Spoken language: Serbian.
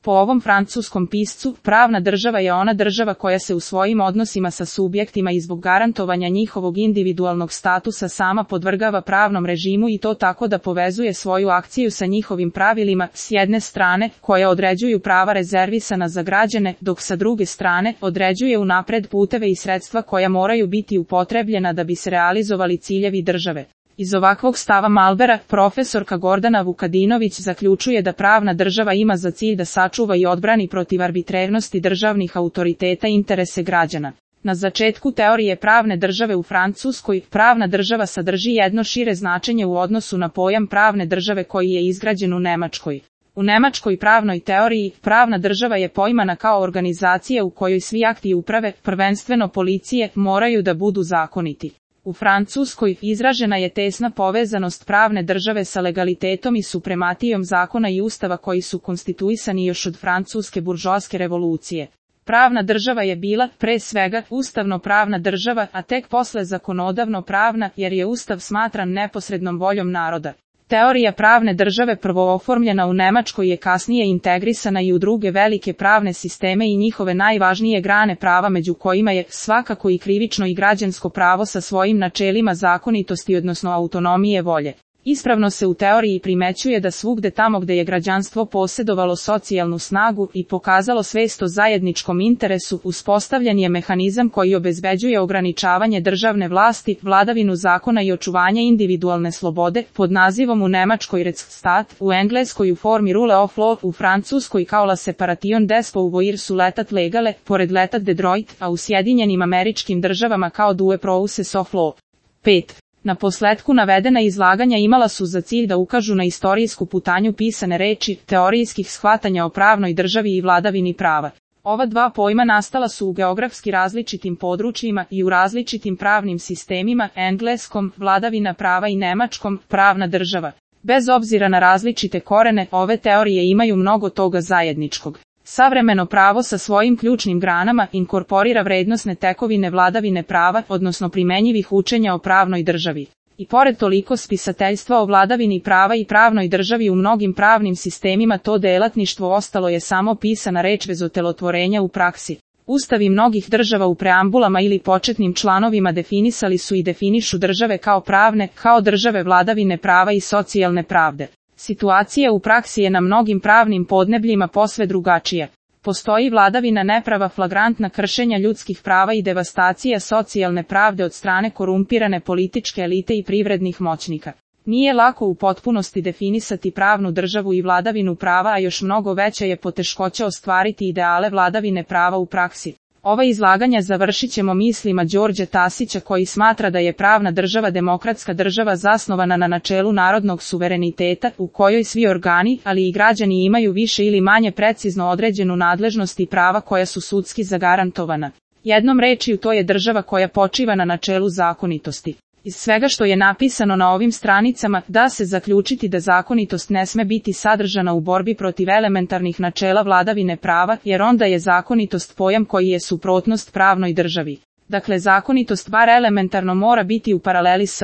Po ovom francuskom piscu, pravna država je ona država koja se u svojim odnosima sa subjektima i zbog garantovanja njihovog individualnog statusa sama podvrgava pravnom režimu i to tako da povezuje svoju akciju sa njihovim pravilima, s jedne strane, koje određuju prava rezervisana za građane, dok sa druge strane, određuje unapred puteve i sredstva koja moraju biti upotrebljena da bi se realizovali ciljevi države. Iz ovakvog stava Malbera, profesorka Gordana Vukadinović zaključuje da pravna država ima za cilj da sačuva i odbrani protiv arbitrarnosti državnih autoriteta i interese građana. Na začetku teorije pravne države u Francuskoj, pravna država sadrži jedno šire značenje u odnosu na pojam pravne države koji je izgrađen u Nemačkoj. U nemačkoj pravnoj teoriji, pravna država je poimana kao organizacija u kojoj svi akti uprave, prvenstveno policije, moraju da budu zakoniti. U Francuskoj izražena je tesna povezanost pravne države sa legalitetom i suprematijom zakona i ustava koji su konstituisani još od francuske buržoaske revolucije. Pravna država je bila, pre svega, ustavno-pravna država, a tek posle zakonodavno-pravna, jer je ustav smatran neposrednom voljom naroda. Teorija pravne države prvo oformljena u Nemačkoj je kasnije integrisana i u druge velike pravne sisteme i njihove najvažnije grane prava među kojima je svakako i krivično i građansko pravo sa svojim načelima zakonitosti odnosno autonomije volje. Ispravno se u teoriji primećuje da svugde tamo gde je građanstvo posjedovalo socijalnu snagu i pokazalo svest o zajedničkom interesu, uspostavljen je mehanizam koji obezbeđuje ograničavanje državne vlasti, vladavinu zakona i očuvanje individualne slobode, pod nazivom u Nemačkoj Rechtsstaat, u Engleskoj u formi rule of law, u Francuskoj kao la separation des pouvoirs su letat legale, pored letat de droit, a u Sjedinjenim Američkim Državama kao due process of law. 5. Na posletku navedena izlaganja imala su za cilj da ukažu na istorijsku putanju pisane reči, teorijskih shvatanja o pravnoj državi i vladavini prava. Ova dva pojma nastala su u geografski različitim područjima i u različitim pravnim sistemima, engleskom, vladavina prava i nemačkom, pravna država. Bez obzira na različite korene, ove teorije imaju mnogo toga zajedničkog. Savremeno pravo sa svojim ključnim granama inkorporira vrednosne tekovine vladavine prava, odnosno primenjivih učenja o pravnoj državi. I pored toliko spisateljstva o vladavini prava i pravnoj državi u mnogim pravnim sistemima to delatništvo ostalo je samo pisana reč bez otelotvorenja u praksi. Ustavi mnogih država u preambulama ili početnim članovima definisali su i definišu države kao pravne, kao države vladavine prava i socijalne pravde. Situacija u praksi je na mnogim pravnim podnebljima posve drugačija. Postoji vladavina neprava, flagrantna kršenja ljudskih prava i devastacija socijalne pravde od strane korumpirane političke elite i privrednih moćnika. Nije lako u potpunosti definisati pravnu državu i vladavinu prava, a još mnogo veća je poteškoća ostvariti ideale vladavine prava u praksi. Ova izlaganja završit ćemo mislima Đorđa Tasića koji smatra da je pravna država demokratska država zasnovana na načelu narodnog suvereniteta u kojoj svi organi, ali i građani imaju više ili manje precizno određenu nadležnost i prava koja su sudski zagarantovana. Jednom rečju to je država koja počiva na načelu zakonitosti. Iz svega što je napisano na ovim stranicama, da se zaključiti da zakonitost ne sme biti sadržana u borbi protiv elementarnih načela vladavine prava, jer onda je zakonitost pojam koji je suprotnost pravnoj državi. Dakle, zakonitost bar elementarno mora biti u paraleli s